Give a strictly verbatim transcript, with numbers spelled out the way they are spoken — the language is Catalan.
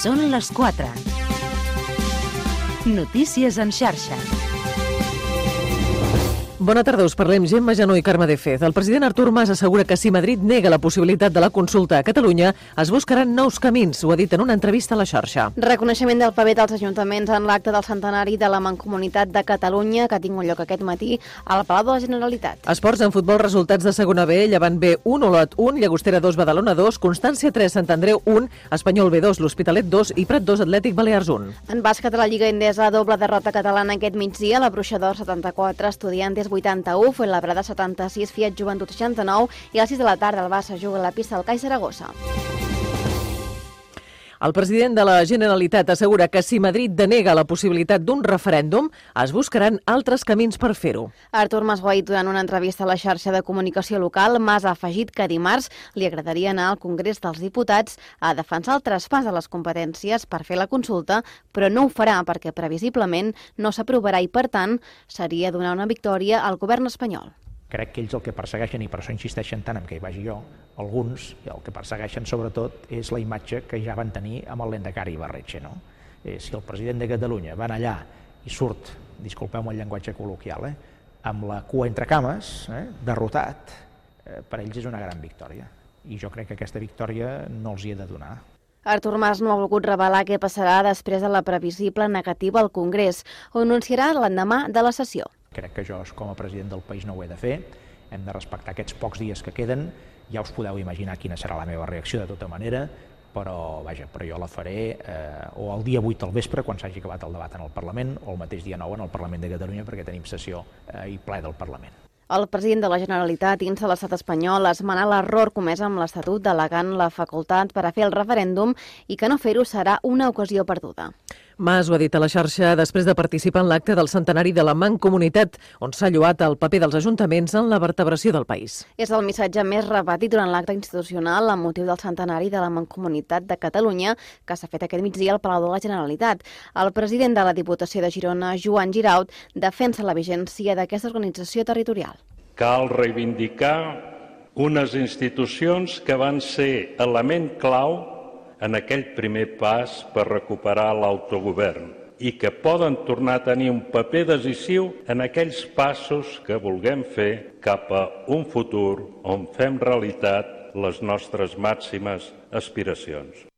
Són les quatre. Notícies en xarxa. Bona tarda, us parlem Gemma Janó i Carme de Fez. El president Artur Mas assegura que si Madrid nega la possibilitat de la consulta a Catalunya, es buscaran nous camins. Ho ha dit en una entrevista a la xarxa. Reconeixement del paper dels ajuntaments en l'acte del centenari de la Mancomunitat de Catalunya, que ha tingut lloc aquest matí al Palau de la Generalitat. Esports en futbol, resultats de segona B, Llevant B un, Olot un, Llagostera dos, Badalona dos, Constància tres, Sant Andreu un, Espanyol B dos, l'Hospitalet dos i Prat dos, Atlètic Balears un. En bàsquet a la Lliga Endesa, doble derrota catalana aquest migdia, la Bruixa d'Or setanta-quatre, Estudiantes vuitanta-u, Fuenlabrada setanta-sis, Fiat Joventut seixanta-nou i a les sis de la tarda el Barça juga a la pista del C A I Saragossa. El president de la Generalitat assegura que si Madrid denega la possibilitat d'un referèndum, es buscaran altres camins per fer-ho. Artur Mas ho ha dit durant una entrevista a la xarxa de comunicació local. Mas ha afegit que dimarts li agradaria anar al Congrés dels Diputats a defensar el traspàs de les competències per fer la consulta, però no ho farà perquè previsiblement no s'aprovarà i, per tant, seria donar una victòria al govern espanyol. Crec que ells el que persegueixen, i per això insisteixen tant en què hi vagi jo, alguns, i el que persegueixen sobretot és la imatge que ja van tenir amb el Lehendakari Ibarretxe. No? Eh, si el president de Catalunya va allà i surt, disculpeu-me el llenguatge col·loquial, eh, amb la cua entre cames, eh, derrotat, eh, per ells és una gran victòria. I jo crec que aquesta victòria no els hi he de donar. Artur Mas no ha volgut revelar què passarà després de la previsible negativa al Congrés. Ho anunciarà l'endemà de la sessió. Crec que jo, com a president del país, no ho he de fer. Hem de respectar aquests pocs dies que queden. Ja us podeu imaginar quina serà la meva reacció de tota manera, però, vaja, però jo la faré eh, o el dia vuit al vespre, quan s'hagi acabat el debat en el Parlament, o el mateix dia nou en el Parlament de Catalunya, perquè tenim sessió eh, i ple del Parlament. El president de la Generalitat insta l'estat espanyol a esmenar l'error comès amb l'Estatut delegant la facultat per a fer el referèndum i que no fer-ho serà una ocasió perduda. Mas ho ha dit a la xarxa després de participar en l'acte del centenari de la Mancomunitat, on s'ha lloat el paper dels ajuntaments en la vertebració del país. És el missatge més repetit durant l'acte institucional amb motiu del centenari de la Mancomunitat de Catalunya, que s'ha fet aquest migdia al Palau de la Generalitat. El president de la Diputació de Girona, Joan Giraut, defensa la vigència d'aquesta organització territorial. Cal reivindicar unes institucions que van ser element clau en aquell primer pas per recuperar l'autogovern i que poden tornar a tenir un paper decisiu en aquells passos que vulguem fer cap a un futur on fem realitat les nostres màximes aspiracions.